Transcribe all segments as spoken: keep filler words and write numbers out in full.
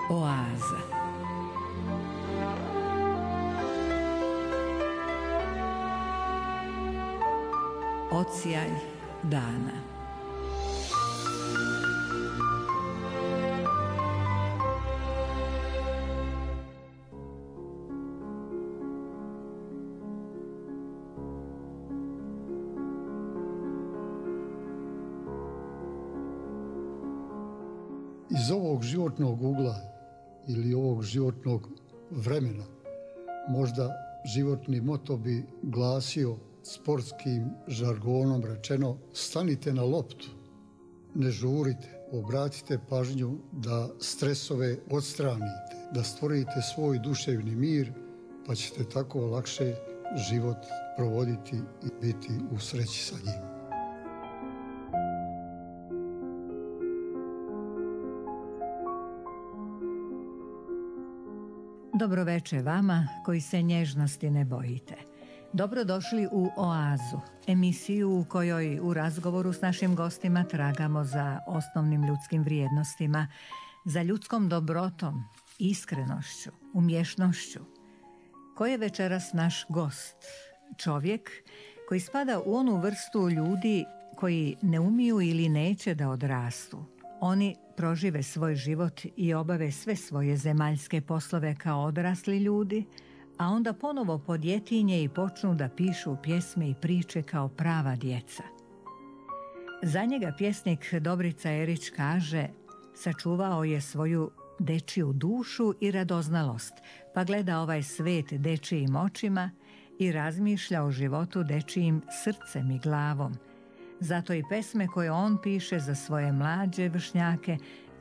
Oaza. Odsjaj dana. Iz ovog životnog ugla ili ovog životnog vremena možda životni moto bi glasio sportskim žargonom rečeno: stanite na loptu, ne žurite, obratite pažnju da stresove odstranite, da stvorite svoj duševni mir, pa ćete tako lakše život provoditi i biti u sreći sa njim. Dobro veče vama koji se nježnosti ne bojite. Dobrodošli u Oazu, emisiju u kojoj u razgovoru s našim gostima tragamo za osnovnim ljudskim vrijednostima, za ljudskom dobrotom, iskrenošću, umješnošću. Ko je večeras naš gost? Čovjek koji spada u onu vrstu ljudi koji ne umiju ili neće da odrastu. Oni prožive svoj život i obave sve svoje zemaljske poslove kao odrasli ljudi, a onda ponovo podjetinje i počnu da pišu pjesme i priče kao prava djeca. Za njega pjesnik Dobrica Erić kaže: sačuvao je svoju dečiju dušu i radoznalost, pa gleda ovaj svet dečijim očima i razmišlja o životu dečijim srcem i glavom. Zato i pesme koje on piše za svoje mlađe vršnjake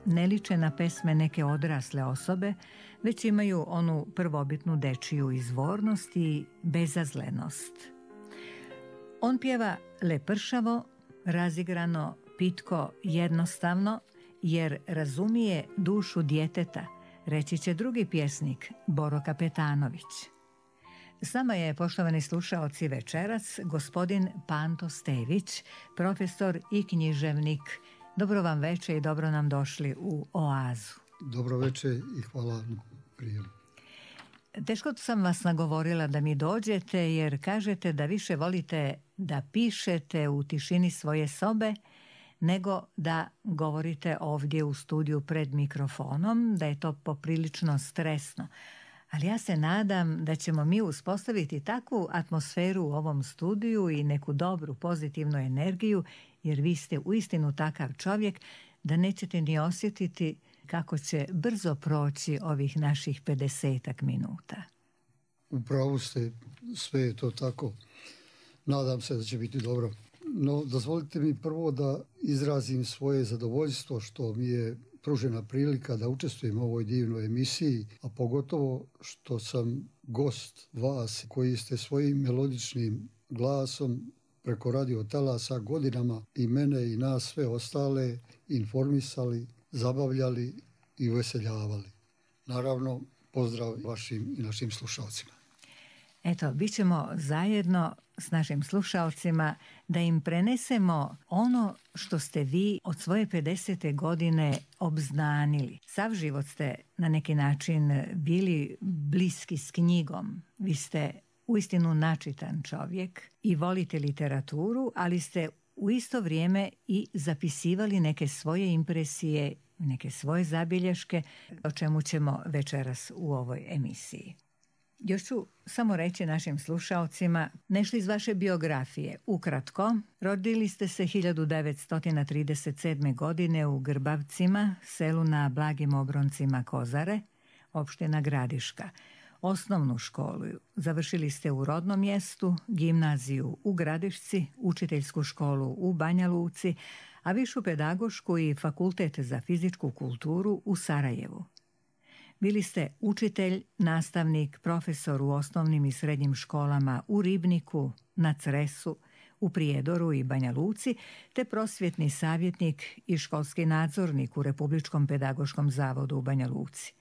ne liče na pesme neke odrasle osobe, već imaju onu prvobitnu dečiju izvornost i bezazlenost. On pjeva lepršavo, razigrano, pitko, jednostavno, jer razumije dušu djeteta, reći će drugi pjesnik Boro Kapetanović. S nama je, poštovani slušaoci, večeras gospodin Panto Stević, profesor i književnik. Dobro vam veče i dobro nam došli u Oazu. Dobro veče i hvala na prijemu. Teško sam vas nagovorila da mi dođete jer kažete da više volite da pišete u tišini svoje sobe nego da govorite ovdje u studiju pred mikrofonom, da je to poprilično stresno. Ali ja se nadam da ćemo mi uspostaviti takvu atmosferu u ovom studiju i neku dobru pozitivnu energiju, jer vi ste uistinu takav čovjek da nećete ni osjetiti kako će brzo proći ovih naših pedesetak minuta. U pravu ste, sve je to tako. Nadam se da će biti dobro. No, dozvolite mi prvo da izrazim svoje zadovoljstvo što mi je pružena prilika da učestvujem u ovoj divnoj emisiji, a pogotovo što sam gost vas koji ste svojim melodičnim glasom preko radio talasa godinama i mene i nas sve ostale informisali, zabavljali i uveseljavali. Naravno, pozdrav vašim i našim slušalcima. Eto, bit ćemo zajedno s našim slušalcima da im prenesemo ono što ste vi od svoje pedesete godine obznanili. Sav život ste na neki način bili bliski s knjigom. Vi ste uistinu načitan čovjek i volite literaturu, ali ste u isto vrijeme i zapisivali neke svoje impresije, neke svoje zabilješke, o čemu ćemo večeras u ovoj emisiji. Još ću samo reći našim slušaocima nešto iz vaše biografije. Ukratko, rodili ste se hiljadu devetsto trideset sedme. godine u Grbavcima, selu na Blagim obroncima Kozare, opština Gradiška. Osnovnu školu završili ste u rodnom mjestu, gimnaziju u Gradišci, učiteljsku školu u Banja Luci, a višu pedagošku i fakultet za fizičku kulturu u Sarajevu. Bili ste učitelj, nastavnik, profesor u osnovnim i srednjim školama u Ribniku, na Cresu, u Prijedoru i Banja Luci, te prosvjetni savjetnik i školski nadzornik u Republičkom pedagoškom zavodu u Banja Luci.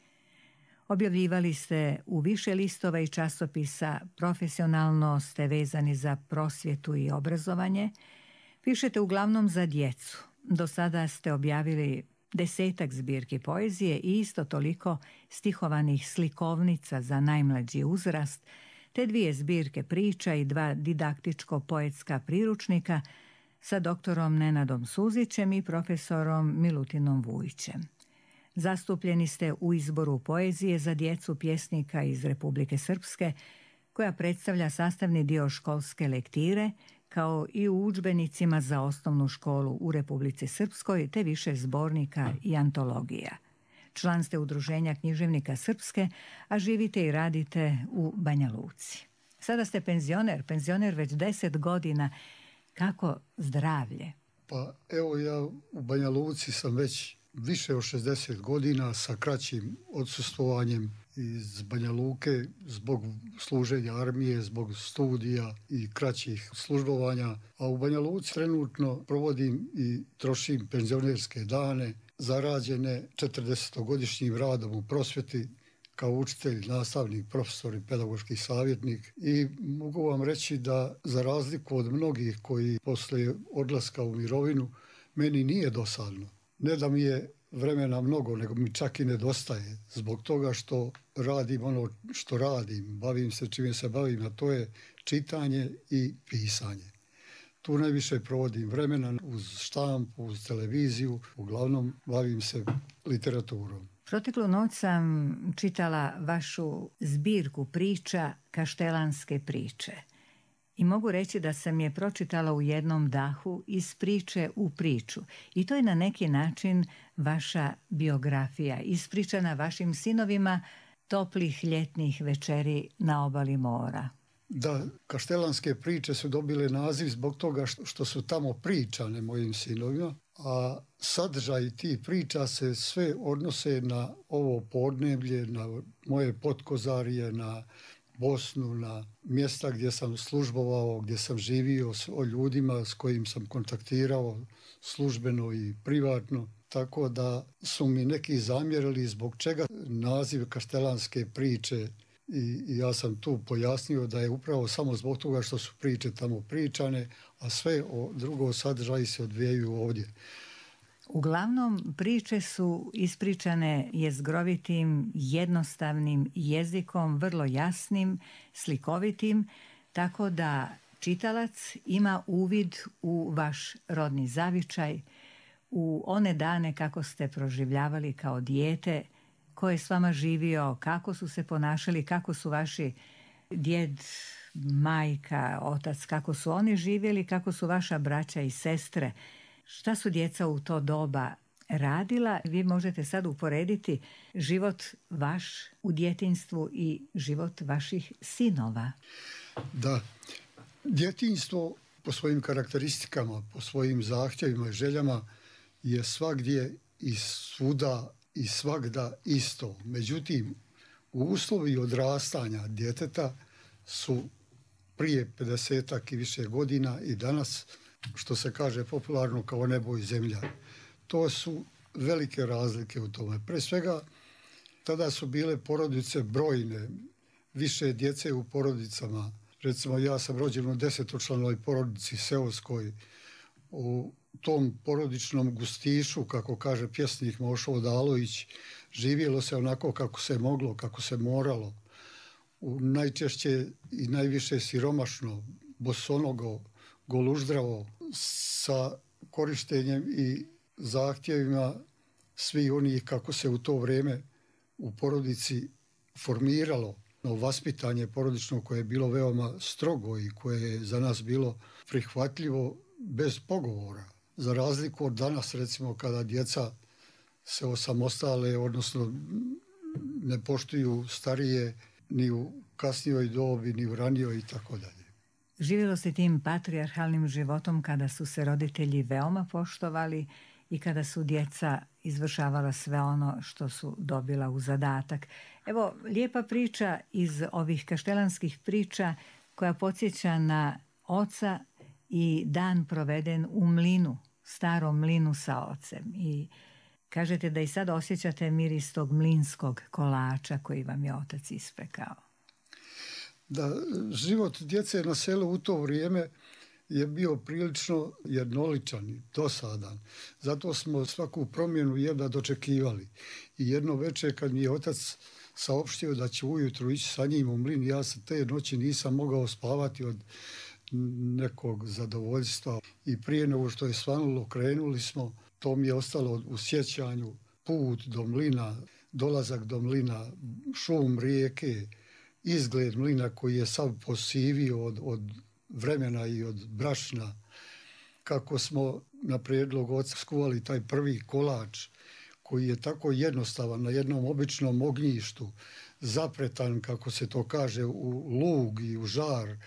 Objavljivali ste u više listova i časopisa, profesionalno ste vezani za prosvjetu i obrazovanje, pišete uglavnom za djecu. Do sada ste objavili desetak zbirki poezije i isto toliko stihovanih slikovnica za najmlađi uzrast, te dvije zbirke priča i dva didaktičko-poetska priručnika sa doktorom Nenadom Suzićem i profesorom Milutinom Vujićem. Zastupljeni ste u izboru poezije za djecu pjesnika iz Republike Srpske, koja predstavlja sastavni dio školske lektire, kao i u udžbenicima za osnovnu školu u Republici Srpskoj, te više zbornika i antologija. Član ste Udruženja književnika Srpske, a živite i radite u Banja Luci. Sada ste penzioner, penzioner već deset godina. Kako zdravlje? Pa evo, ja u Banja Luci sam već više od šezdeset godina sa kraćim odsustvovanjem iz Banja Luke zbog služenja armije, zbog studija i kraćih službovanja. A u Banja Luci trenutno provodim i trošim penzionerske dane zarađene četrdesetogodišnjim radom u prosvjeti kao učitelj, nastavnik, profesor i pedagoški savjetnik. I mogu vam reći da za razliku od mnogih koji posle odlaska u mirovinu, meni nije dosadno. Ne da mi je vremena mnogo, nego mi čak i nedostaje. Zbog toga što radim ono što radim, bavim se čime se bavim, a to je čitanje i pisanje. Tu najviše provodim vremena uz štampu, uz televiziju, uglavnom bavim se literaturom. Proteklu noć sam čitala vašu zbirku priča Kaštelanske priče. I mogu reći da sam je pročitala u jednom dahu iz priče u priču. I to je na neki način vaša biografija, ispričana vašim sinovima toplih ljetnih večeri na obali mora. Da, Kaštelanske priče su dobile naziv zbog toga što su tamo pričane mojim sinovima, a sadržaj tih priča se sve odnose na ovo podneblje, na moje Potkozarije, na Bosnu, na mjesta gdje sam službovao, gdje sam živio, o ljudima s kojim sam kontaktirao službeno i privatno. Tako da su mi neki zamjerili zbog čega naziv Kaštelanske priče. I, I ja sam tu pojasnio da je upravo samo zbog toga što su priče tamo pričane, a sve o drugo sadržaji se odvijaju ovdje. Uglavnom, priče su ispričane jezgrovitim, jednostavnim jezikom, vrlo jasnim, slikovitim, tako da čitalac ima uvid u vaš rodni zavičaj, u one dane kako ste proživljavali kao dijete, ko je s vama živio, kako su se ponašali, kako su vaši djed, majka, otac, kako su oni živjeli, kako su vaša braća i sestre. Šta su djeca u to doba radila? Vi možete sad uporediti život vaš u djetinjstvu i život vaših sinova. Da, djetinjstvo po svojim karakteristikama, po svojim zahtjevima i željama je svagdje i svuda i svagda isto. Međutim, uslovi odrastanja djeteta su prije pedesetak i više godina i danas, što se kaže popularno, kao nebo i zemlja. To su velike razlike u tome. Pre svega, tada su bile porodice brojne, više djece u porodicama. Recimo, ja sam rođen u desetočlanoj porodici seoskoj. U tom porodičnom gustišu, kako kaže pjesnik Mošo Odalović, živjelo se onako kako se moglo, kako se moralo. U najčešće i najviše siromašno, bosonogo, goluždravo, sa korištenjem i zahtjevima svi onih kako se u to vrijeme u porodici formiralo vaspitanje porodično, koje je bilo veoma strogo i koje je za nas bilo prihvatljivo bez pogovora. Za razliku od danas, recimo, kada djeca se osamostale, odnosno ne poštuju starije ni u kasnijoj dobi, ni u ranijoj i tako dalje. Živjelo se tim patrijarhalnim životom kada su se roditelji veoma poštovali i kada su djeca izvršavala sve ono što su dobila u zadatak. Evo, lijepa priča iz ovih kaštelanskih priča koja podsjeća na oca i dan proveden u mlinu, starom mlinu sa ocem. I kažete da i sad osjećate miris tog mlinskog kolača koji vam je otac ispekao. Da, život djece na selu u to vrijeme je bio prilično jednoličan i dosadan. Zato smo svaku promjenu jedva dočekivali. I jedno večer kad mi je otac saopštio da će ujutru ići sa njim u mlin, ja se te noći nisam mogao spavati od nekog zadovoljstva. I prije nego što je svanulo, krenuli smo, to mi je ostalo u sjećanju, put do mlina, dolazak do mlina, šum rijeke, izgled mlina koji je sav posivio od, od vremena i od brašna, kako smo na prijedlog oca skuvali taj prvi kolač koji je tako jednostavan na jednom običnom ognjištu, zapretan, kako se to kaže, u lug i u žar,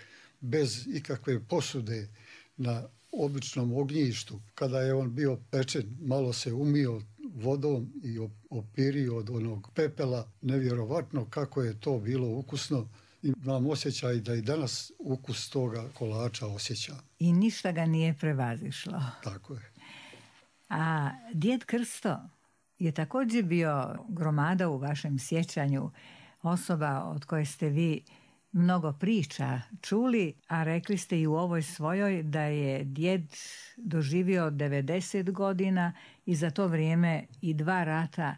bez ikakve posude na običnom ognjištu. Kada je on bio pečen, malo se umio vodom i opirio od onog pepela. Nevjerovatno kako je to bilo ukusno. Imam osjećaj da i danas ukus toga kolača osjećam. I ništa ga nije prevazišlo. Tako je. A djed Krsto je također bio gromada u vašem sjećanju, osoba od koje ste vi mnogo priča čuli, a rekli ste i u ovoj svojoj da je djed doživio devedeset godina i za to vrijeme i dva rata,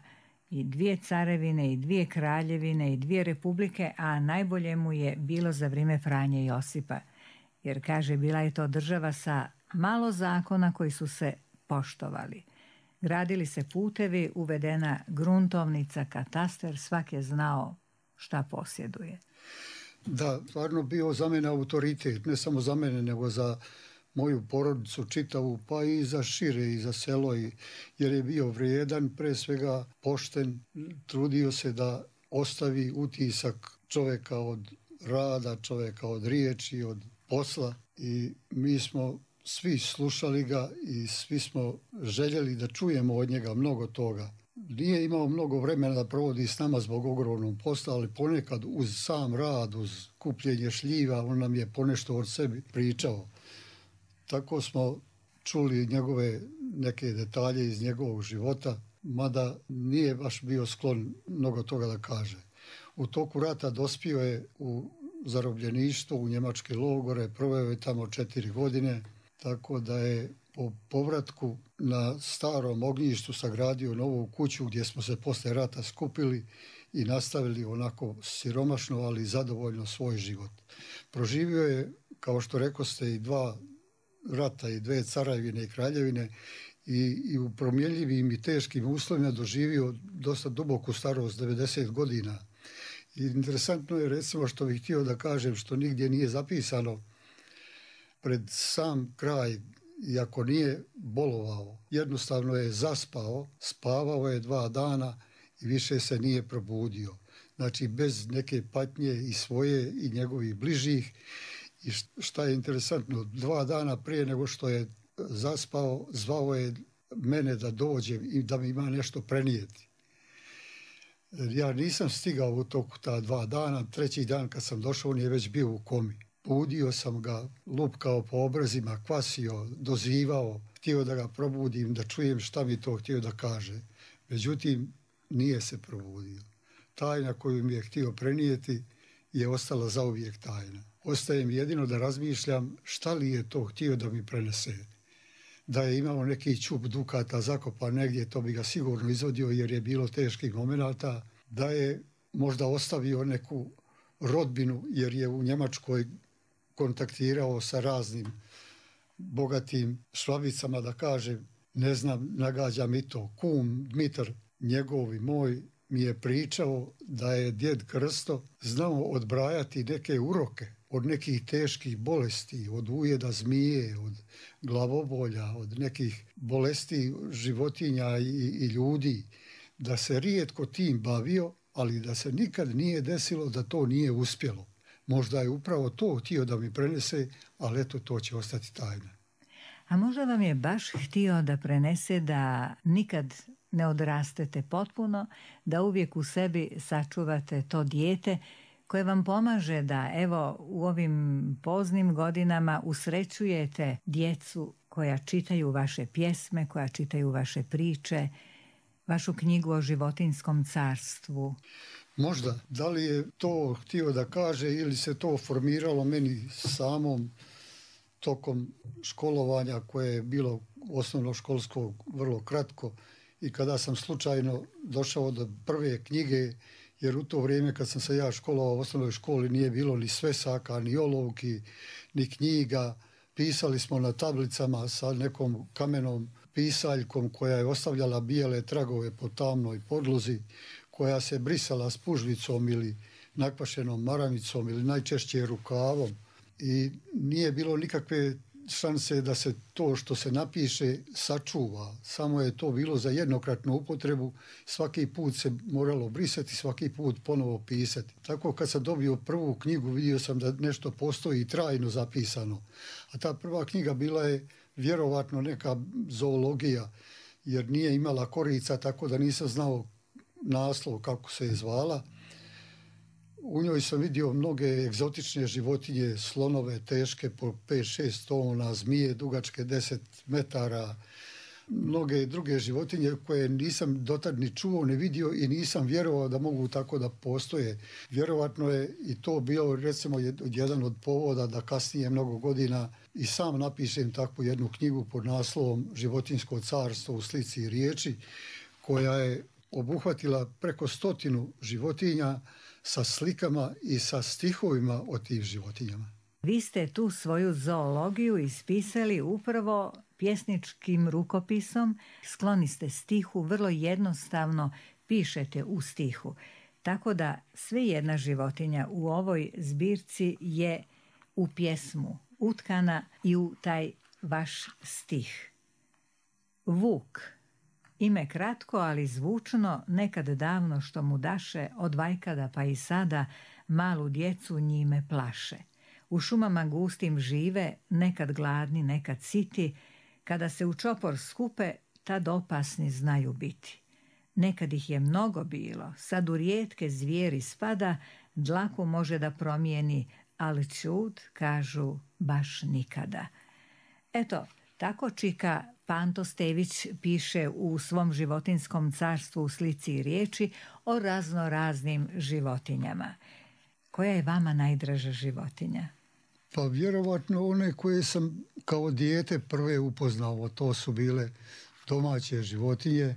i dvije carevine, i dvije kraljevine, i dvije republike, a najbolje mu je bilo za vrijeme Franje Josipa. Jer, kaže, bila je to država sa malo zakona koji su se poštovali. Gradili se putevi, uvedena gruntovnica, katastar, svak je znao šta posjeduje. Da, stvarno bio za mene autoritet, ne samo za mene, nego za moju porodicu čitavu, pa i za šire i za selo, jer je bio vrijedan, pre svega pošten, trudio se da ostavi utisak čovjeka od rada, čovjeka od riječi, od posla, i mi smo svi slušali ga i svi smo željeli da čujemo od njega mnogo toga. Nije imao mnogo vremena da provodi s nama zbog ogromnog posla, ali ponekad uz sam rad, uz kupljenje šljiva, on nam je ponešto od sebi pričao. Tako smo čuli njegove neke detalje iz njegovog života, mada nije baš bio sklon mnogo toga da kaže. U toku rata dospio je u zarobljeništvo, u njemačke logore, proveo je tamo četiri godine, tako da je po povratku na starom ognjištu sagradio novu kuću gdje smo se posle rata skupili i nastavili onako siromašno, ali zadovoljno svoj život. Proživio je, kao što rekoste, i dva rata i dve carevine i kraljevine i, i u promjenljivim i teškim uslovima doživio dosta duboku starost, devedeset godina. I interesantno je, recimo, što bih htio da kažem, što nigdje nije zapisano, pred sam kraj, iako nije bolovao, jednostavno je zaspao, spavao je dva dana i više se nije probudio. Znači, bez neke patnje i svoje i njegovih bližih. I šta je interesantno, dva dana prije nego što je zaspao, zvao je mene da dođem i da mi ima nešto prenijeti. Ja nisam stigao u toku ta dva dana, treći dan kad sam došao, on je već bio u komi. Budio sam ga, lupkao po obrazima, kvasio, dozivao, htio da ga probudim, da čujem šta mi to htio da kaže. Međutim, nije se probudio. Tajna koju mi je htio prenijeti je ostala zauvijek tajna. Ostaje mi jedino da razmišljam šta li je to htio da mi prenese. Da je imao neki čup dukata zakopan negdje, to bi ga sigurno izvodio jer je bilo teških momenata. Da je možda ostavio neku rodbinu jer je u Njemačkoj kontaktirao sa raznim bogatim švabicama, da kažem, ne znam, nagađa mi to. Kum Dmitar, njegov i moj, mi je pričao da je djed Krsto znao odbrajati neke uroke od nekih teških bolesti, od ujeda zmije, od glavobolja, od nekih bolesti životinja i, i ljudi, da se rijetko tim bavio, ali da se nikad nije desilo da to nije uspjelo. Možda je upravo to htio da mi prenese, ali eto, to će ostati tajna. A možda vam je baš htio da prenese da nikad ne odrastete potpuno, da uvijek u sebi sačuvate to dijete koje vam pomaže da, evo, u ovim poznim godinama usrećujete djecu koja čitaju vaše pjesme, koja čitaju vaše priče, vašu knjigu o životinjskom carstvu. Možda. Da li je to htio da kaže ili se to formiralo meni samom, tokom školovanja koje je bilo osnovno školsko vrlo kratko i kada sam slučajno došao do prve knjige, jer u to vrijeme kad sam se ja školovao u osnovnoj školi nije bilo ni svesaka, ni olovki, ni knjiga. Pisali smo na tablicama sa nekom kamenom pisaljkom koja je ostavljala bijele tragove po tamnoj podlozi, koja se brisala spužvicom ili nakvašenom maramicom ili najčešće rukavom. I nije bilo nikakve šanse da se to što se napiše sačuva. Samo je to bilo za jednokratnu upotrebu. Svaki put se moralo brisati, svaki put ponovo pisati. Tako kad sam dobio prvu knjigu vidio sam da nešto postoji trajno zapisano. A ta prva knjiga bila je vjerovatno neka zoologija, jer nije imala korica, tako da nisam znao naslov kako se je zvala. U njoj sam vidio mnoge egzotične životinje, slonove teške po pet šest tona, zmije dugačke deset metara, mnoge druge životinje koje nisam dotad ni čuo, ni vidio i nisam vjerovao da mogu tako da postoje. Vjerovatno je i to bio recimo jedan od povoda da kasnije mnogo godina i sam napišem takvu jednu knjigu pod naslovom Životinjsko carstvo u slici i riječi, koja je obuhvatila preko stotinu životinja sa slikama i sa stihovima o tim životinjama. Vi ste tu svoju zoologiju ispisali upravo pjesničkim rukopisom. Skloni ste stihu, vrlo jednostavno pišete u stihu. Tako da sve jedna životinja u ovoj zbirci je u pjesmu utkana i u taj vaš stih. Vuk. Ime kratko, ali zvučno, nekad davno što mu daše, od vajkada pa i sada, malu djecu njime plaše. U šumama gustim žive, nekad gladni, nekad siti, kada se u čopor skupe, tad opasni znaju biti. Nekad ih je mnogo bilo, sad u rijetke zvijeri spada, dlaku može da promijeni, ali čud, kažu, baš nikada. Eto, tako čika Panto Stević piše u svom životinskom carstvu u slici i riječi o razno raznim životinjama. Koja je vama najdraža životinja? Pa vjerovatno one koje sam kao dijete prve upoznao, to su bile domaće životinje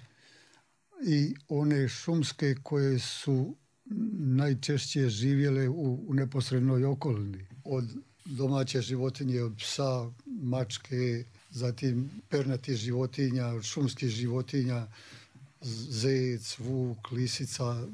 i one šumske koje su najčešće živjele u, u neposrednoj okolini. Od domaće životinje, od psa, mačke, zatim pernatih životinja, od šumskih životinja, zec, vuk, lisica,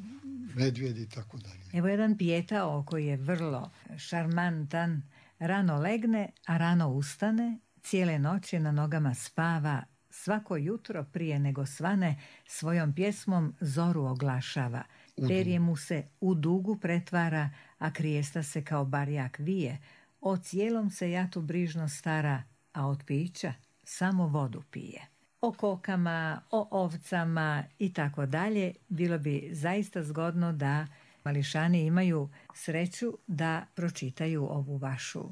medvjed i tako dalje. Evo jedan pijetao koji je vrlo šarmantan, rano legne, a rano ustane, cijele noći na nogama spava, svako jutro prije nego svane svojom pjesmom zoru oglašava. Perje mu se u dugu pretvara, a krijesta se kao barjak vije. O cijelom se jatu brižno stara, a od pića samo vodu pije. O kokama, o ovcama i tako dalje bilo bi zaista zgodno da mališani imaju sreću da pročitaju ovu vašu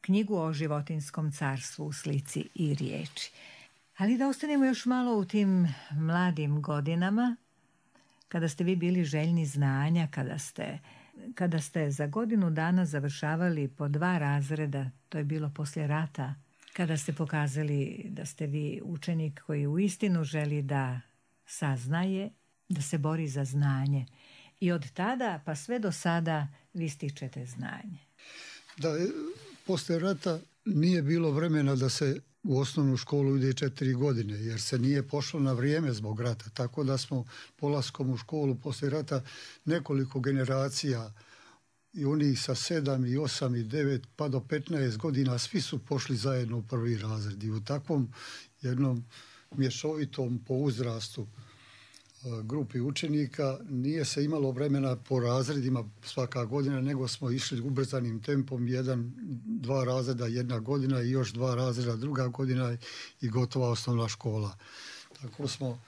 knjigu o životinskom carstvu u slici i riječi. Ali da ostanemo još malo u tim mladim godinama, kada ste vi bili željni znanja, kada ste, kada ste za godinu dana završavali po dva razreda, to je bilo poslije rata, kada ste pokazali da ste vi učenik koji uistinu želi da saznaje, da se bori za znanje. I od tada pa sve do sada vi stičete znanje. Da, poslije rata nije bilo vremena da se u osnovnu školu ide četiri godine, jer se nije pošlo na vrijeme zbog rata. Tako da smo polaskom u školu poslije rata nekoliko generacija, i oni sa sedam i osam i devet pa do petnaest godina, svi su pošli zajedno u prvi razred. I u takvom jednom mješovitom po uzrastu grupi učenika nije se imalo vremena po razredima svaka godina, nego smo išli ubrzanim tempom, jedan, dva razreda jedna godina i još dva razreda druga godina i gotova osnovna škola. Tako smo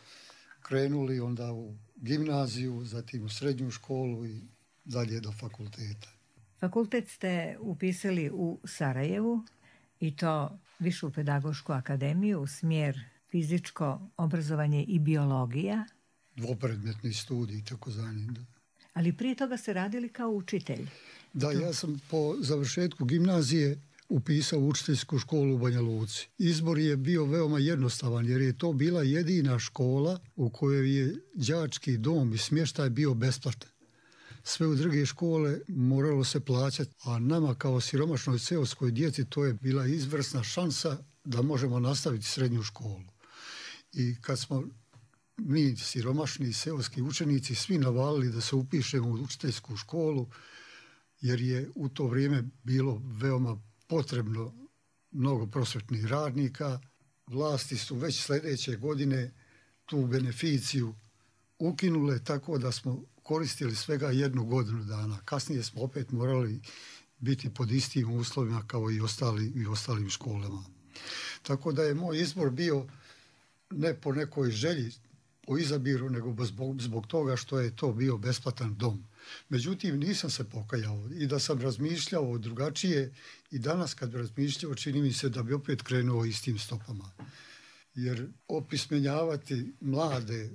krenuli onda u gimnaziju, zatim u srednju školu i dalje do fakulteta. Fakultet ste upisali u Sarajevu i to Višu pedagošku akademiju, smjer fizičko obrazovanje i biologija. Dvopredmetni studij, tako zvani. Ali prije toga ste radili kao učitelj. Da, ja sam po završetku gimnazije upisao učiteljsku školu u Banja Luci. Izbor je bio veoma jednostavan jer je to bila jedina škola u kojoj je đački dom i smještaj bio besplatan. Sve u druge škole moralo se plaćati, a nama kao siromašnoj seoskoj djeci to je bila izvrsna šansa da možemo nastaviti srednju školu. I kad smo mi siromašni seoski učenici svi navalili da se upišemo u učiteljsku školu, jer je u to vrijeme bilo veoma potrebno mnogo prosvetnih radnika. Vlasti su već sljedeće godine tu beneficiju ukinule, tako da smo koristili svega jednu godinu dana. Kasnije smo opet morali biti pod istim uslovima kao i ostali i ostalim školama. Tako da je moj izbor bio ne po nekoj želji, po izabiru, nego zbog, zbog toga što je to bio besplatan dom. Međutim, nisam se pokajao i da sam razmišljao drugačije i danas kad razmišljao čini mi se da bi opet krenuo istim stopama. Jer opismenjavati mlade,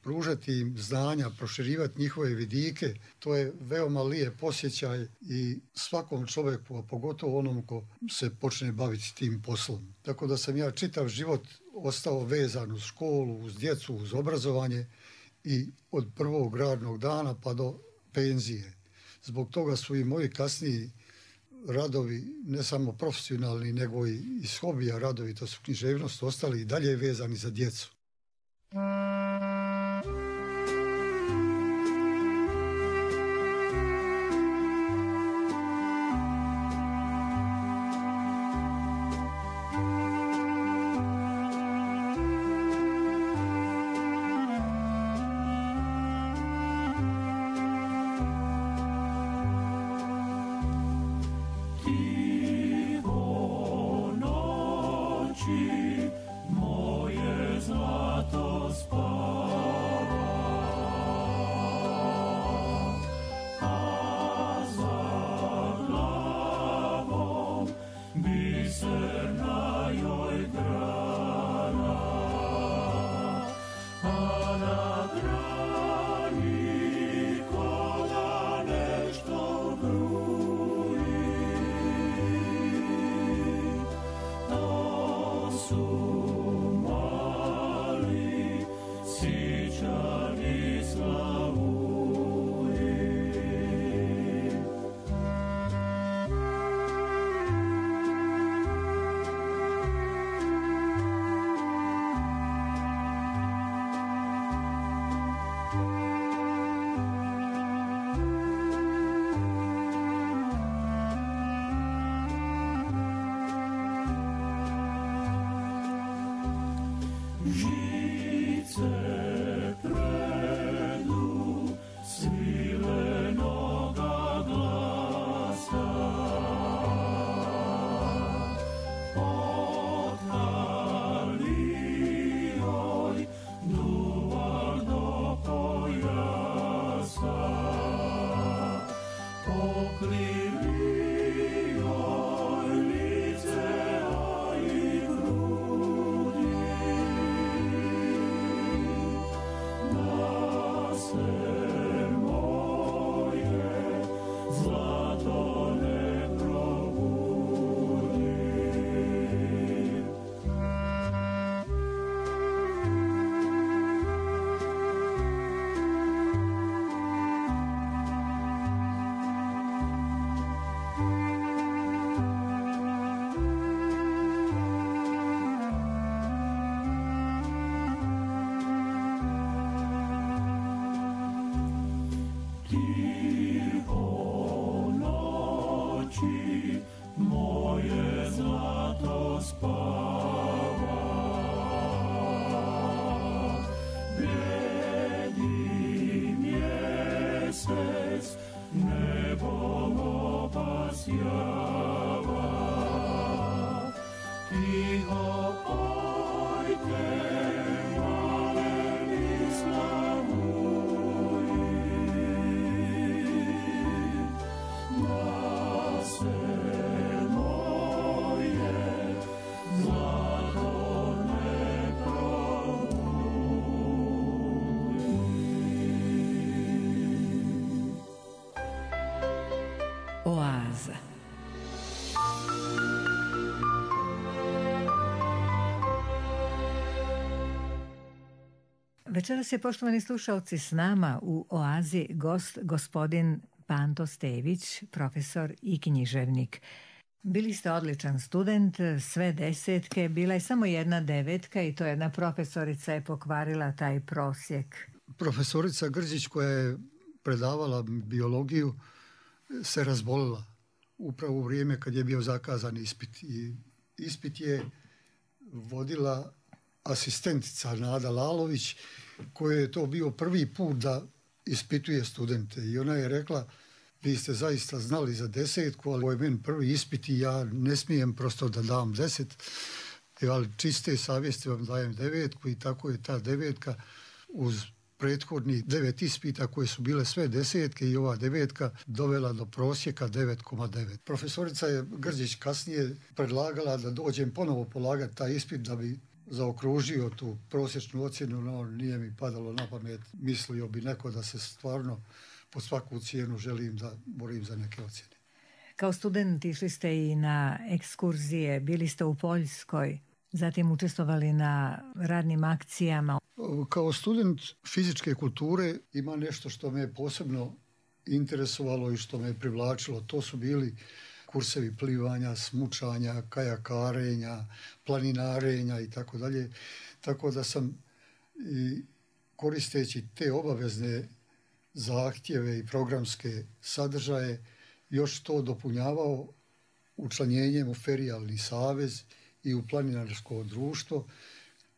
pružati im znanja, proširivati njihove vidike, to je veoma lijep osjećaj i svakom čovjeku, a pogotovo onom ko se počne baviti tim poslom. Tako da sam ja čitav život ostao vezan uz školu, uz djecu, uz obrazovanje i od prvog radnog dana pa do penzije. Zbog toga su i moji kasniji radovi, ne samo profesionalni, nego i iz hobija radovi, to su književnost, ostali i dalje vezani za djecu. Oaza. Večeras je, poštovani slušalci, s nama u Oazi gost gospodin Panto Stević, profesor i književnik. Bili ste odličan student, sve desetke, bila je samo jedna devetka i to jedna profesorica je pokvarila taj prosjek. Profesorica Grđić koja je predavala biologiju se razbolila upravo u vrijeme kad je bio zakazan ispit. I ispit je vodila asistentica Nada Lalović, koji je to bio prvi put da ispituje studente. I ona je rekla, vi ste zaista znali za desetku, ali ovo je meni prvi ispit i ja ne smijem prosto da dam deset, ali čiste savjesti vam dajem devetku i tako je ta devetka uz prethodnih devet ispita koje su bile sve desetke i ova devetka dovela do prosjeka devet zarez devet. Profesorica je Grđić kasnije predlagala da dođem ponovo polagati taj ispit da bi zaokružio tu prosječnu ocjenu, no nije mi padalo na pamet. Mislio bi neko da se stvarno po svaku cijenu želim da borim za neke ocjene. Kao student išli ste i na ekskurzije, bili ste u Poljskoj, zatim učestvovali na radnim akcijama. Kao student fizičke kulture ima nešto što me posebno interesovalo i što me privlačilo. To su bili kursevi plivanja, smučanja, kajakarenja, planinarenja i tako dalje. Tako da sam i koristeći te obavezne zahtjeve i programske sadržaje još to dopunjavao učlanjenjem u Ferijalni savez i u Planinarsko društvo,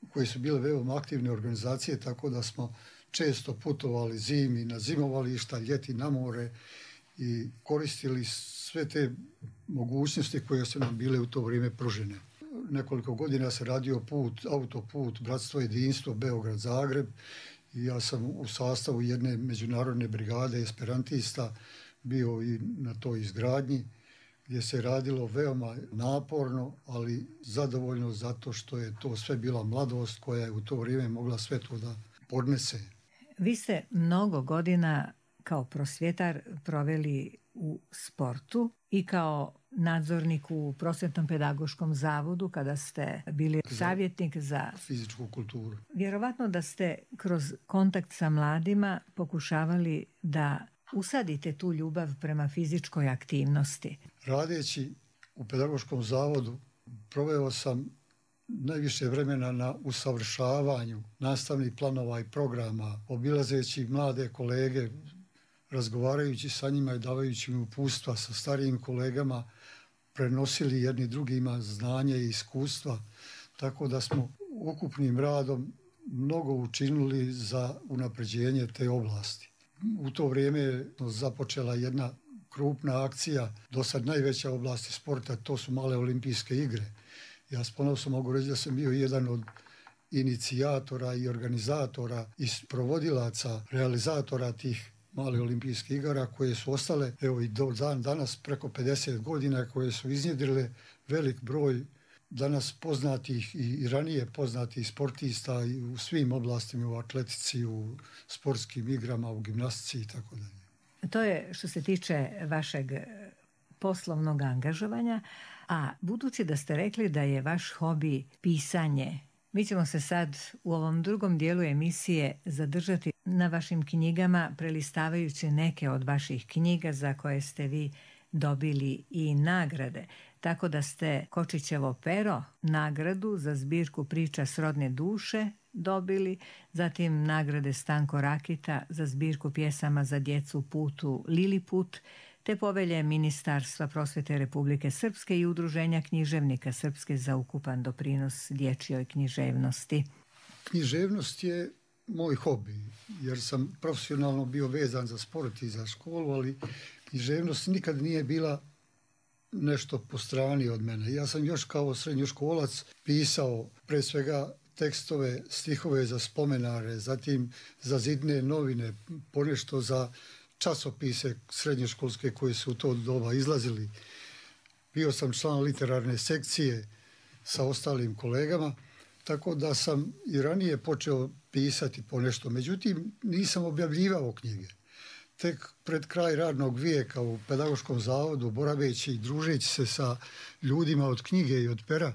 koje su bile veoma aktivne organizacije, tako da smo često putovali zimi na zimovališta, ljeti na more i koristili sve te mogućnosti koje su nam bile u to vrijeme pružene. Nekoliko godina se radio put, autoput, Bratstvo jedinstvo, Beograd-Zagreb i ja sam u sastavu jedne međunarodne brigade esperantista bio i na toj izgradnji, gdje se radilo veoma naporno, ali zadovoljno zato što je to sve bila mladost koja je u to vrijeme mogla sve to da podnese. Vi ste mnogo godina kao prosvjetar proveli u sportu i kao nadzornik u Prosvjetnom pedagoškom zavodu kada ste bili savjetnik za fizičku kulturu. Vjerovatno da ste kroz kontakt sa mladima pokušavali da usadite tu ljubav prema fizičkoj aktivnosti. Radeći u pedagoškom zavodu proveo sam najviše vremena na usavršavanju nastavnih planova i programa, obilazeći mlade kolege, razgovarajući sa njima i davajući im uputstva sa starijim kolegama, prenosili jedni drugima znanje i iskustva, tako da smo ukupnim radom mnogo učinili za unapređenje te oblasti. U to vrijeme je započela jedna krupna akcija, do sad najveća oblasti sporta, to su male olimpijske igre. Ja s ponosom mogu reći da sam bio jedan od inicijatora i organizatora i sprovodilaca, realizatora tih malih olimpijskih igara koje su ostale, evo i do dan danas preko pedeset godina, koje su iznjedrile velik broj danas poznatih i ranije poznatih sportista u svim oblastima, u atletici, u sportskim igrama, u gimnastici i tako dalje. To je što se tiče vašeg poslovnog angažovanja, a budući da ste rekli da je vaš hobi pisanje, mi ćemo se sad u ovom drugom dijelu emisije zadržati na vašim knjigama, prelistavajući neke od vaših knjiga za koje ste vi dobili i nagrade. Tako da ste Kočićevo pero nagradu za zbirku priča srodne duše dobili, zatim nagrade Stanko Rakita za zbirku pjesama za djecu Putu Liliput, te povelje Ministarstva prosvjete Republike Srpske i Udruženja književnika Srpske za ukupan doprinos dječjoj književnosti. Književnost je moj hobi, jer sam profesionalno bio vezan za sport i za školu, ali književnost nikad nije bila nešto po strani od mene. Ja sam još kao srednjoškolac pisao pre svega tekstove, stihove za spomenare, zatim za zidne novine, ponešto za časopise srednjoškolske koji su u to doba izlazili. Bio sam član literarne sekcije sa ostalim kolegama, tako da sam i ranije počeo pisati ponešto. Međutim, nisam objavljivao knjige. Tek pred kraj radnog vijeka u pedagoškom zavodu, boraveći i družeći se sa ljudima od knjige i od pera,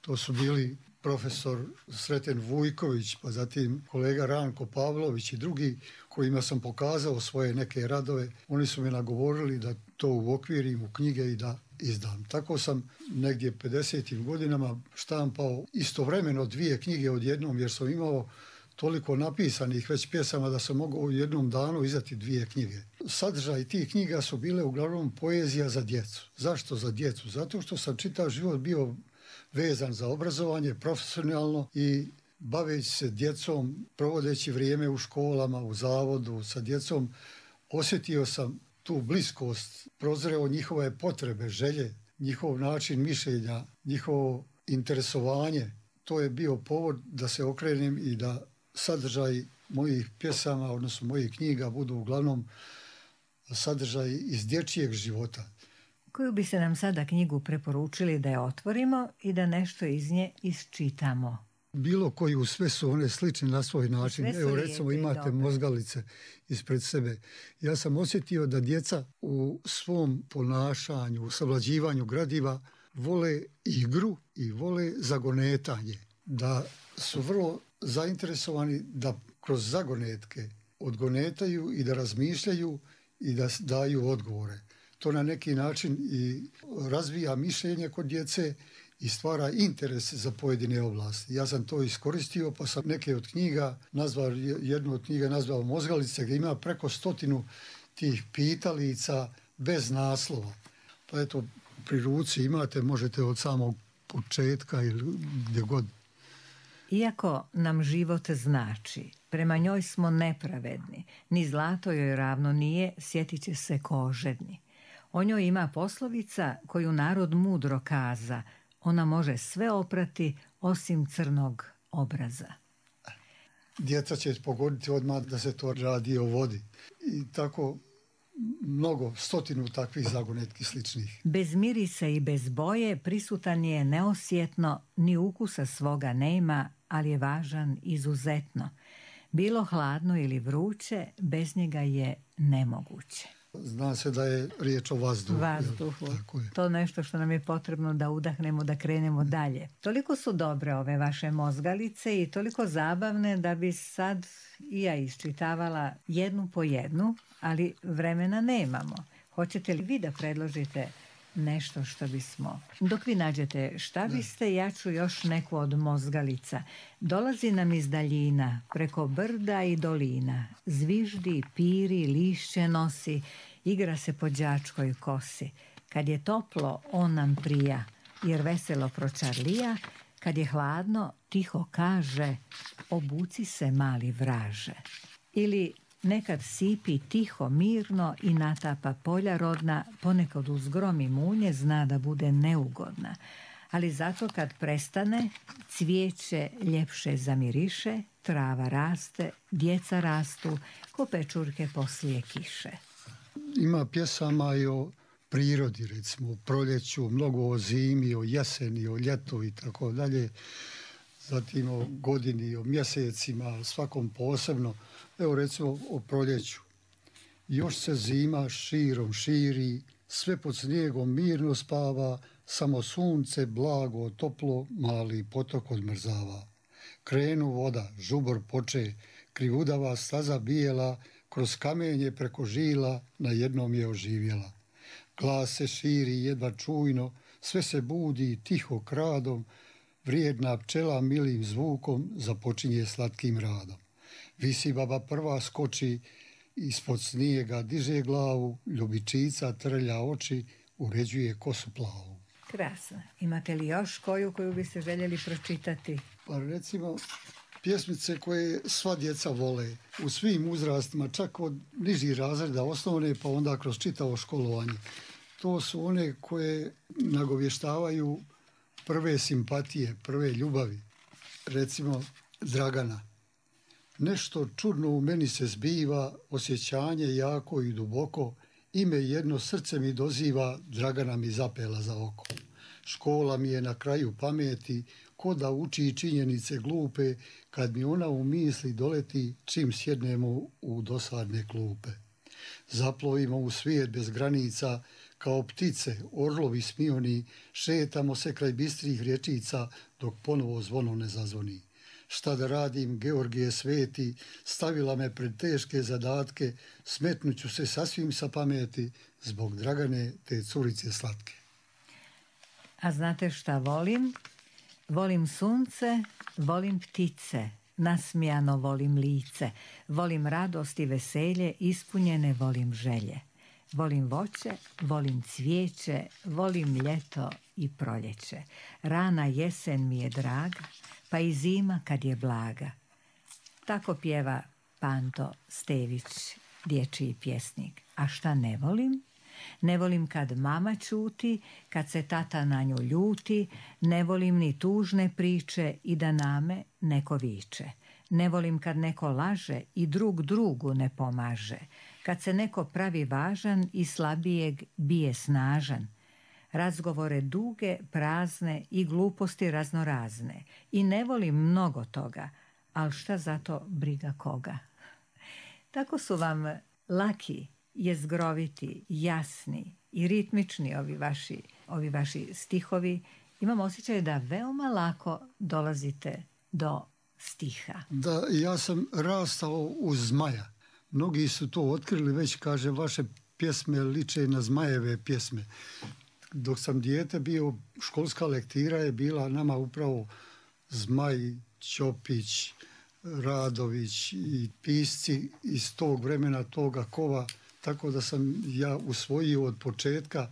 to su bili profesor Sreten Vujković, pa zatim kolega Ranko Pavlović i drugi kojima sam pokazao svoje neke radove, oni su me nagovorili da to uokvirim u knjige i da izdam. Tako sam negdje pedesetim godinama štampao istovremeno dvije knjige odjednom, jer sam imao toliko napisanih već pjesama da sam mogao u jednom danu izdati dvije knjige. Sadržaj tih knjiga su bile uglavnom poezija za djecu. Zašto za djecu? Zato što sam čitav život bio vezan za obrazovanje profesionalno i baveći se djecom, provodeći vrijeme u školama, u zavodu sa djecom, osjetio sam tu bliskost, prozreo njihove potrebe, želje, njihov način mišljenja, njihovo interesovanje. To je bio povod da se okrenem i da sadržaj mojih pjesama, odnosno mojih knjiga, budu uglavnom sadržaj iz dječjeg života. Koju bi se nam sada knjigu preporučili da je otvorimo i da nešto iz nje isčitamo? Bilo koju, sve su one slične na svoj način. Evo recimo imate Mozgalice ispred sebe. Ja sam osjetio da djeca u svom ponašanju, u savlađivanju gradiva vole igru i vole zagonetanje. Da su vrlo zainteresovani da kroz zagonetke odgonetaju i da razmišljaju i da daju odgovore. To na neki način i razvija mišljenje kod djece i stvara interes za pojedine oblasti. Ja sam to iskoristio, pa sam neke od knjiga nazvao, jednu od knjiga nazvao Mozgalice, gdje ima preko stotinu tih pitalica bez naslova. Pa eto, pri ruci imate, možete od samog početka ili gdje god. Iako nam život znači, prema njoj smo nepravedni, ni zlato joj ravno nije, sjetit će se kožedni. O njoj ima poslovica koju narod mudro kaza, ona može sve oprati osim crnog obraza. Djeca će pogoditi odmah da se to radi o vodi. I tako mnogo, stotinu takvih zagonetki sličnih. Bez mirisa i bez boje prisutan je neosjetno, ni ukusa svoga nema, ali je važan izuzetno. Bilo hladno ili vruće, bez njega je nemoguće. Zna se da je riječ o vazduhu. Vazduhu. To nešto što nam je potrebno da udahnemo, da krenemo dalje. Toliko su dobre ove vaše Mozgalice i toliko zabavne da bi sad i ja iščitavala jednu po jednu, ali vremena nemamo. Hoćete li vi da predložite nešto što bismo... Dok vi nađete šta biste, ja ću još neku od Mozgalica. Dolazi nam iz daljina, preko brda i dolina. Zviždi, piri, lišće nosi, igra se po đačkoj kosi. Kad je toplo, on nam prija, jer veselo pročarlija. Kad je hladno, tiho kaže, obuci se mali vraže. Ili nekad sipi tiho, mirno i natapa polja rodna, ponekad uz grom i munje zna da bude neugodna. Ali zato kad prestane, cvijeće ljepše zamiriše, trava raste, djeca rastu, ko pečurke poslije kiše. Ima pjesama i o prirodi, recimo o proljeću, mnogo o zimi, o jeseni, o ljetu i tako dalje. Zatim o godini, o mjesecima, svakom posebno. Evo recimo o proljeću. Još se zima širom širi, sve pod snijegom mirno spava, samo sunce blago, toplo, mali potok odmrzava. Krenu voda, žubor poče, krivudava staza bijela, kroz kamenje preko žila, na jednom je oživjela. Glas se širi jedva čujno, sve se budi tiho kradom, vrijedna pčela milim zvukom započinje slatkim radom. Visi baba prva skoči, ispod snijega diže glavu, ljubičica trlja oči, uređuje kosu plavu. Krasno. Imate li još koju koju biste željeli pročitati? Pa recimo pjesmice koje sva djeca vole, u svim uzrastima, čak od nižih razreda osnovne pa onda kroz čitavo školovanje. To su one koje nagovještavaju prve simpatije, prve ljubavi. Recimo Dragana. Nešto čudno u meni se zbiva, osjećanje jako i duboko, ime jedno srce mi doziva, Dragana mi zapela za oko. Škola mi je na kraju pameti, ko da uči činjenice glupe, kad mi ona u misli doleti, čim sjednemo u dosadne klupe. Zaplovimo u svijet bez granica, Kao ptice, orlovi smioni, šetamo se kraj bistrih rječica dok ponovo zvono ne zazvoni. Šta da radim, Georgije sveti, stavila me pred teške zadatke, smetnuću se sasvim sa pameti zbog Dragane te curice slatke. A znate šta volim? Volim sunce, volim ptice, nasmijano volim lice, volim radost i veselje, ispunjene volim želje. Volim voće, volim cvijeće, volim ljeto i proljeće. Rana jesen mi je draga, pa i zima kad je blaga. Tako pjeva Panto Stević, dječji pjesnik. A šta ne volim? Ne volim kad mama ćuti, kad se tata na nju ljuti, ne volim ni tužne priče i da name neko viče. Ne volim kad neko laže i drug drugu ne pomaže, kad se neko pravi važan i slabijeg bije snažan. Razgovore duge, prazne i gluposti raznorazne. I ne volim mnogo toga, ali šta zato briga koga. Tako su vam laki, jezgroviti, jasni i ritmični ovi vaši, ovi vaši stihovi. Imam osjećaj da veoma lako dolazite do stiha. Da, ja sam rastao uz zmaja. Mnogi su to otkrili, već kaže, vaše pjesme liče na zmajeve pjesme. Dok sam dijete bio, školska lektira je bila nama upravo Zmaj, Ćopić, Radović i pisci iz tog vremena, toga kova, tako da sam ja usvojio od početka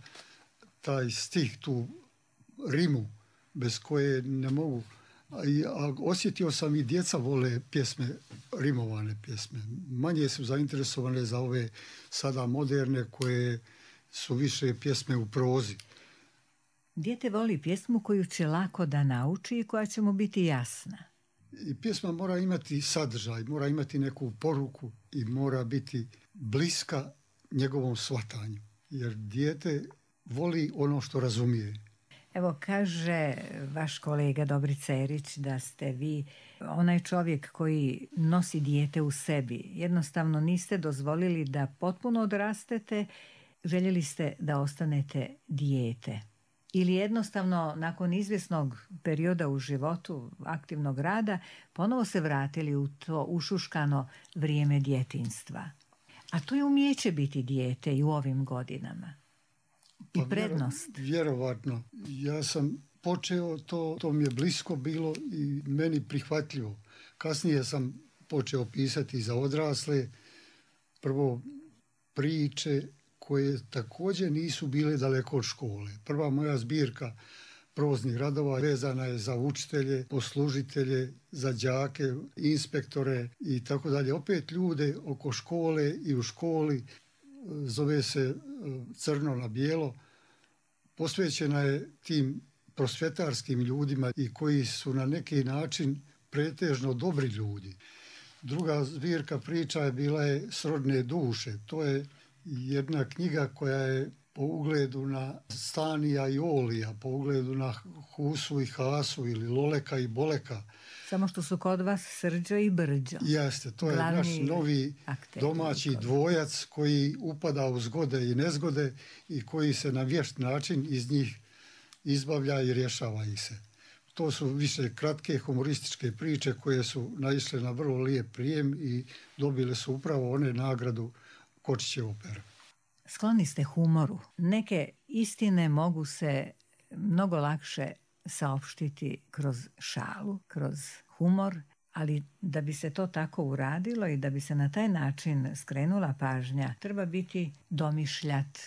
taj stih, tu rimu, bez koje ne mogu. A, a osjetio sam i djeca vole pjesme, rimovane pjesme. Manje su zainteresovane za ove sada moderne koje su više pjesme u prozi. Dijete voli pjesmu koju će lako da nauči i koja će mu biti jasna. I pjesma mora imati sadržaj, mora imati neku poruku i mora biti bliska njegovom shvatanju. Jer dijete voli ono što razumije. Evo, kaže vaš kolega Dobri Cerić da ste vi onaj čovjek koji nosi dijete u sebi. Jednostavno niste dozvolili da potpuno odrastete, željeli ste da ostanete dijete. Ili jednostavno nakon izvjesnog perioda u životu, aktivnog rada, ponovo se vratili u to ušuškano vrijeme djetinjstva. A to je umijeće biti dijete i u ovim godinama. I pa prednost. Vjerovatno. Ja sam počeo, to, to mi je blisko bilo i meni prihvatljivo. Kasnije sam počeo pisati za odrasle. Prvo priče koje također nisu bile daleko od škole. Prva moja zbirka proznih radova vezana je za učitelje, poslužitelje, za đake, inspektore i tako dalje. Opet ljude oko škole i u školi, zove se Crno na bijelo. Posvećena je tim prosvjetarskim ljudima i koji su na neki način pretežno dobri ljudi. Druga zbirka priča je bila je Srodne duše. To je jedna knjiga koja je po ugledu na Stanija i Olija, po ugledu na Husu i Hasu ili Loleka i Boleka. Samo što su kod vas Srđo i Brđo. Jeste, to je Glavni naš novi domaći dvojac koji upada u zgode i nezgode i koji se na vješt način iz njih izbavlja i rješava ih se. To su više kratke humorističke priče koje su naišle na vrlo lijep prijem i dobile su upravo one nagradu Kočićevo pero. Skloni ste humoru. Neke istine mogu se mnogo lakše saopštiti kroz šalu, kroz humor, ali da bi se to tako uradilo i da bi se na taj način skrenula pažnja, treba biti domišljat.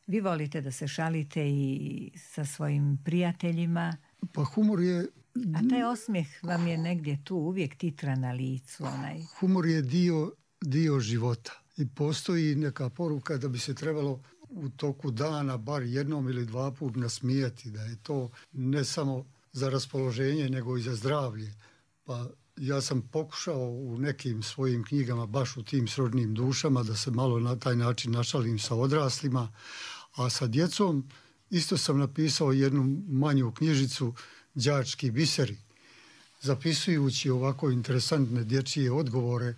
Vi volite da se šalite i sa svojim prijateljima. Pa humor je... A taj osmijeh vam je negdje tu, uvijek titra na licu. Onaj. Humor je dio, dio života. I postoji neka poruka da bi se trebalo u toku dana bar jednom ili dva put nasmijati, da je to ne samo za raspoloženje nego i za zdravlje. Pa ja sam pokušao u nekim svojim knjigama baš u tim srodnim dušama da se malo na taj način našalim sa odraslima, a sa djecom isto sam napisao jednu manju knjižicu Đački biseri. Zapisujući ovako interesantne dječje odgovore,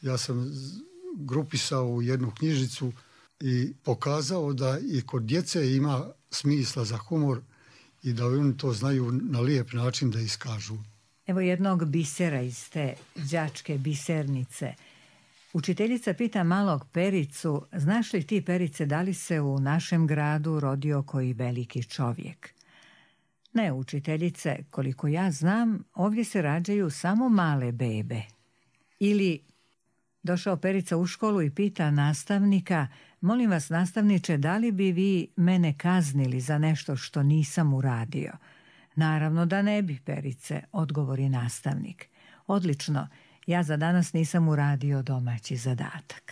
ja sam grupisao u jednu knjižicu i pokazao da i kod djece ima smisla za humor i da oni to znaju na lijep način da iskažu. Evo jednog bisera iz te đačke bisernice. Učiteljica pita malog Pericu, znaš li ti, Perice, da li se u našem gradu rodio koji veliki čovjek? Ne, učiteljice, koliko ja znam, ovdje se rađaju samo male bebe. Ili došao Perica u školu i pita nastavnika, molim vas, nastavniče, da li bi vi mene kaznili za nešto što nisam uradio? Naravno da ne bi, Perice, odgovori nastavnik. Odlično, ja za danas nisam uradio domaći zadatak.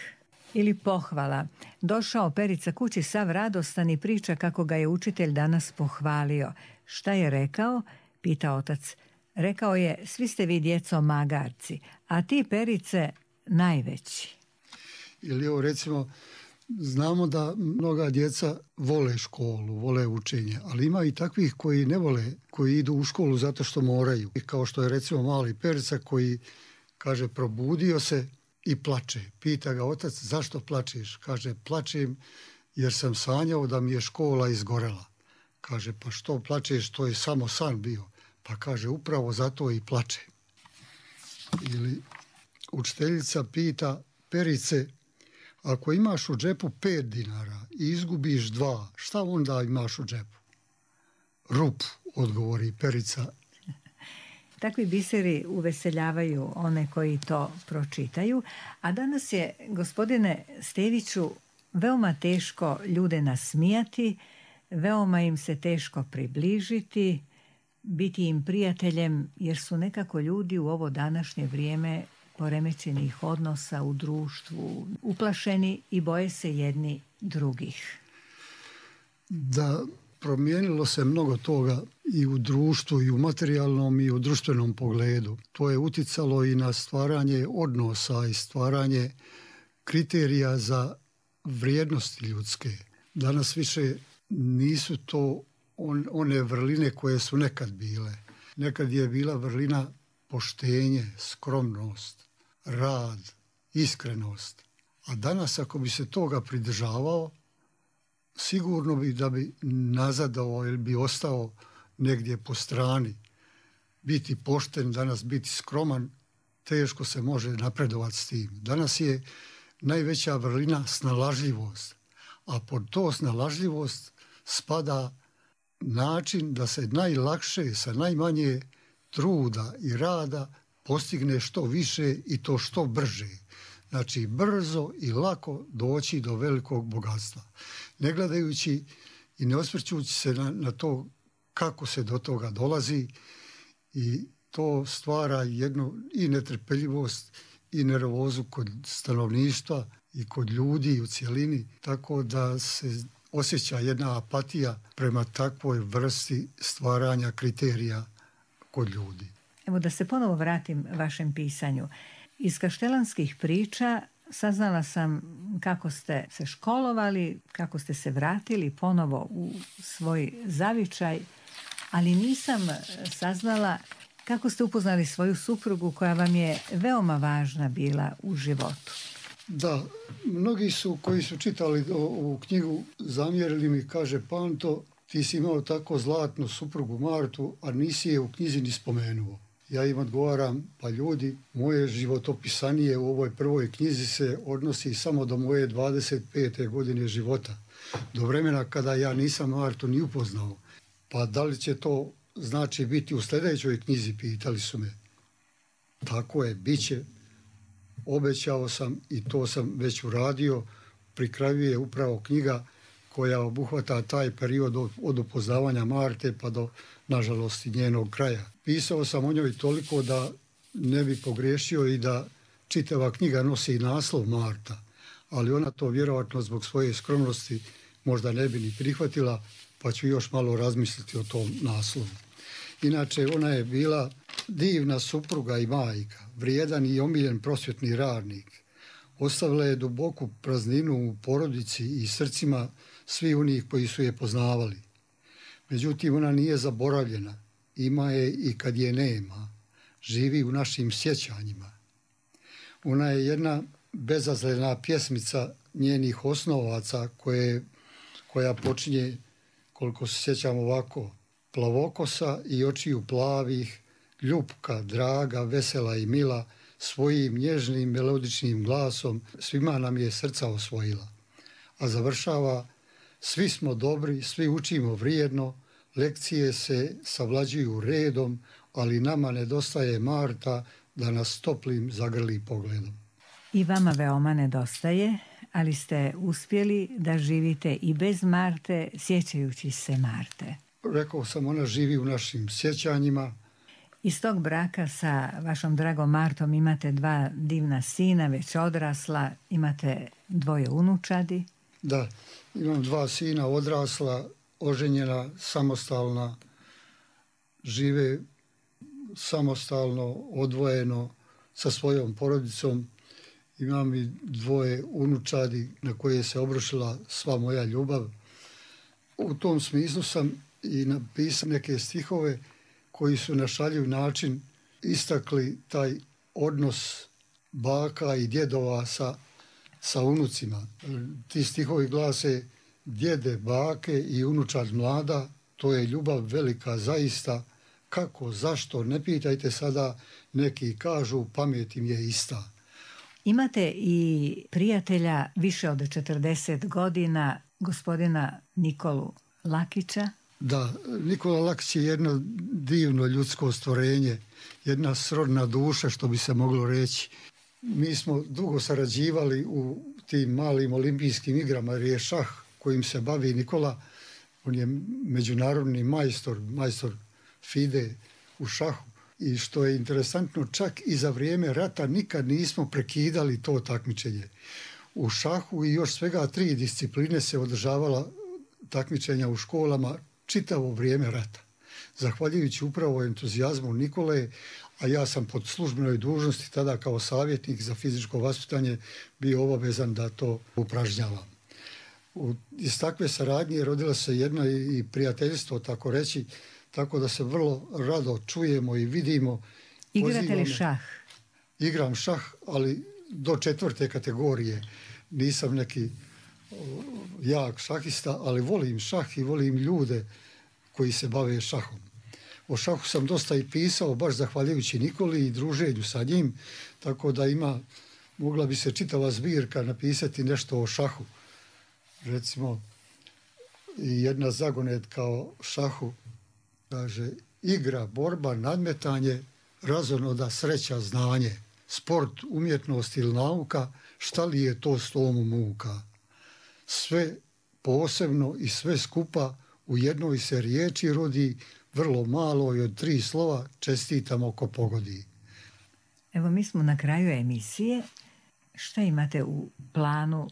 Ili pohvala. Došao Perica kući sav radostan i priča kako ga je učitelj danas pohvalio. Šta je rekao? Pita otac. Rekao je, svi ste vi djeco magarci, a ti, Perice, najveći. Ili evo recimo, znamo da mnoga djeca vole školu, vole učenje, ali ima i takvih koji ne vole, koji idu u školu zato što moraju. I kao što je recimo mali Perica koji kaže probudio se i plače. Pita ga otac zašto plačeš? Kaže plačem jer sam sanjao da mi je škola izgorela. Kaže pa što plačeš, to je samo san bio. Pa kaže upravo zato i plače. Ili učiteljica pita Perice, ako imaš u džepu pet dinara i izgubiš dva, šta onda imaš u džepu? Rup, odgovori Perica. Takvi biseri uveseljavaju one koji to pročitaju, a danas je, gospodine Steviću, veoma teško ljude nasmijati, veoma im se teško približiti, biti im prijateljem, jer su nekako ljudi u ovo današnje vrijeme poremećenih odnosa u društvu, uplašeni i boje se jedni drugih. Da, promijenilo se mnogo toga i u društvu, i u materijalnom, i u društvenom pogledu. To je uticalo i na stvaranje odnosa i stvaranje kriterija za vrijednosti ljudske. Danas više nisu to on, one vrline koje su nekad bile. Nekad je bila vrlina poštenje, skromnost, rad, iskrenost. A danas ako bi se toga pridržavao, sigurno bi da bi nazadovao ili bi ostao negdje po strani. Biti pošten, danas biti skroman, teško se može napredovati s tim. Danas je najveća vrlina snalažljivost, a pod to snalažljivost spada način da se najlakše sa najmanje truda i rada postigne što više i to što brže. Znači brzo i lako doći do velikog bogatstva. Ne gledajući i ne osvrćući se na, na to kako se do toga dolazi, i to stvara jednu i netrpeljivost i nervozu kod stanovništva i kod ljudi u cjelini, tako da se osjeća jedna apatija prema takvoj vrsti stvaranja kriterija kod ljudi. Evo da se ponovo vratim vašem pisanju. Iz kaštelanskih priča saznala sam kako ste se školovali, kako ste se vratili ponovo u svoj zavičaj, ali nisam saznala kako ste upoznali svoju suprugu koja vam je veoma važna bila u životu. Da, mnogi su koji su čitali ovu knjigu zamjerili mi, kaže Panto, ti si imao tako zlatnu suprugu Martu, a nisi je u knjizi ni spomenuo. Ja im odgovaram, pa ljudi, moje životopisanje u ovoj prvoj knjizi se odnosi samo do moje dvadeset pete godine života, do vremena kada ja nisam Martu ni upoznao. Pa da li će to znači biti u sljedećoj knjizi, pitali su me. Tako je, bit će. Obećao sam i to sam već uradio. Pri kraju je upravo knjiga koja obuhvata taj period od, od upoznavanja Marte pa do, nažalost, njenog kraja. Pisao sam o njoj toliko da ne bi pogriješio i da čitava knjiga nosi naslov Marta, ali ona to vjerojatno zbog svoje skromnosti možda ne bi ni prihvatila, pa ću još malo razmisliti o tom naslovu. Inače, ona je bila divna supruga i majka, vrijedan i omiljen prosvjetni radnik. Ostavila je duboku prazninu u porodici i srcima svi onih koji su je poznavali. Međutim, ona nije zaboravljena. Ima je i kad je nema. Živi u našim sjećanjima. Ona je jedna bezazlena pjesmica njenih osnovaca koje, koja počinje, koliko se sjećam ovako: plavokosa i očiju plavih, ljupka, draga, vesela i mila, svojim nježnim melodičnim glasom svima nam je srca osvojila. A završava: svi smo dobri, svi učimo vrijedno, lekcije se savlađuju redom, ali nama nedostaje Marta da nas toplim zagrli pogledom. I vama veoma nedostaje, ali ste uspjeli da živite i bez Marte, sjećajući se Marte. Rekao sam, ona živi u našim sjećanjima. Iz tog braka sa vašom dragom Martom imate dva divna sina, već odrasla, imate dvoje unučadi. Da, imam dva sina odrasla, oženjena, samostalna, žive samostalno, odvojeno sa svojom porodicom. Imam i dvoje unučadi na koje se obrušila sva moja ljubav. U tom smislu sam i napisao neke stihove koji su na šaljiv način istakli taj odnos baka i djedova sa, sa unucima. Ti stihovi glase: djede, bake i unučad mlada, to je ljubav velika zaista, kako, zašto, ne pitajte sada, neki kažu, pamet im je ista. Imate i prijatelja više od četrdeset godina, gospodina Nikolu Lakića. Da, Nikola Lakić je jedno divno ljudsko stvorenje, jedna srodna duša, što bi se moglo reći. Mi smo dugo sarađivali u tim malim olimpijskim igrama, jer je šah kojim se bavi Nikola. On je međunarodni majstor, majstor FIDE u šahu. I što je interesantno, čak i za vrijeme rata nikad nismo prekidali to takmičenje. U šahu i još svega tri discipline se održavala takmičenja u školama čitavo vrijeme rata. Zahvaljujući upravo entuzijazmu Nikole, a ja sam pod službenoj dužnosti tada kao savjetnik za fizičko vaspitanje bio obavezan da to upražnjavam. U, iz takve saradnje rodila se jedno i prijateljstvo, tako reći, tako da se vrlo rado čujemo i vidimo. Igrate li šah? Igram šah, ali do četvrte kategorije. Nisam neki jak šahista, ali volim šah i volim ljude koji se bave šahom. O šahu sam dosta i pisao, baš zahvaljujući Nikoli i druženju sa njim, tako da ima, mogla bi se čitava zbirka napisati nešto o šahu. Recimo, jedna zagonetka o šahu kaže: igra, borba, nadmetanje, razonoda, sreća, znanje, sport, umjetnost ili nauka, šta li je to s tomu muka? Sve posebno i sve skupa u jednoj se riječi rodi, vrlo malo i od tri slova, čestitamo ko pogodi. Evo, mi smo na kraju emisije. Šta imate u planu?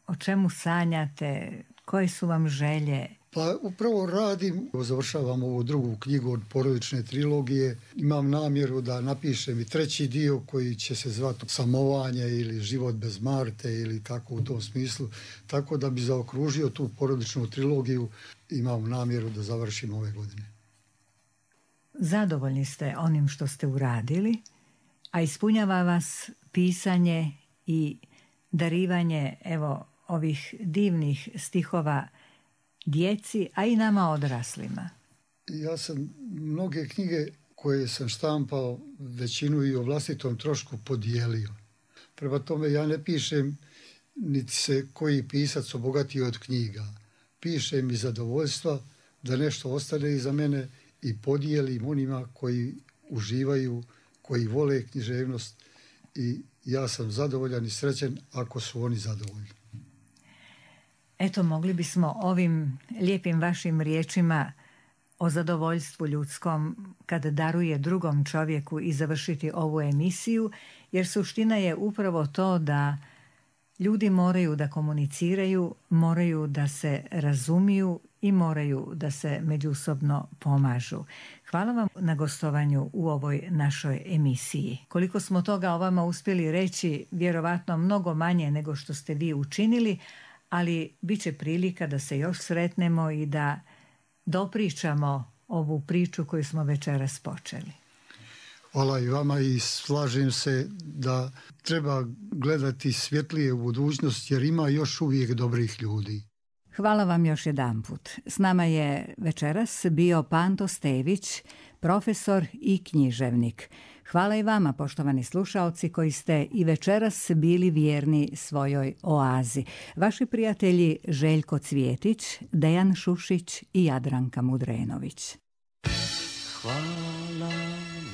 O čemu sanjate? Koje su vam želje? Pa upravo radim, završavam ovu drugu knjigu od porodične trilogije. Imam namjeru da napišem i treći dio koji će se zvati Samovanje ili Život bez Marte ili tako u tom smislu. Tako da bi zaokružio tu porodičnu trilogiju, imam namjeru da završim ove godine. Zadovoljni ste onim što ste uradili, a ispunjava vas pisanje i darivanje evo ovih divnih stihova djeci, a i nama odraslima. Ja sam mnoge knjige koje sam štampao, većinu i o vlastitom trošku podijelio. Prema tome ja ne pišem niti se koji pisac obogatio od knjiga. Pišem iz zadovoljstva da nešto ostane iza mene i podijelim onima koji uživaju, koji vole književnost, i ja sam zadovoljan i srećen ako su oni zadovoljni. Eto, mogli bismo ovim lijepim vašim riječima o zadovoljstvu ljudskom kad daruje drugom čovjeku i završiti ovu emisiju, jer suština je upravo to da ljudi moraju da komuniciraju, moraju da se razumiju i moraju da se međusobno pomažu. Hvala vam na gostovanju u ovoj našoj emisiji. Koliko smo toga o vama uspjeli reći, vjerovatno mnogo manje nego što ste vi učinili, ali bit će prilika da se još sretnemo i da dopričamo ovu priču koju smo večeras počeli. Hvala i vama i slažem se da treba gledati svjetlije u budućnost jer ima još uvijek dobrih ljudi. Hvala vam još jedanput. S nama je večeras bio Panto Stević, profesor i književnik. Hvala i vama, poštovani slušaoci, koji ste i večeras bili vjerni svojoj oazi. Vaši prijatelji Željko Cvjetić, Dejan Šušić i Jadranka Mudrenović. Hvala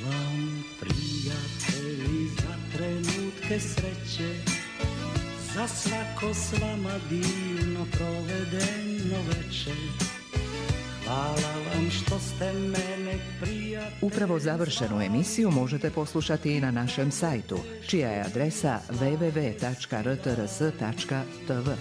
vam, prijatelji, za trenutke sreće, za svako s vama divno provedeno večer. Hvala vam što ste mene prijatelji. Upravo završenu emisiju možete poslušati i na našem sajtu, čija je adresa w w w tačka r t r s tačka t v.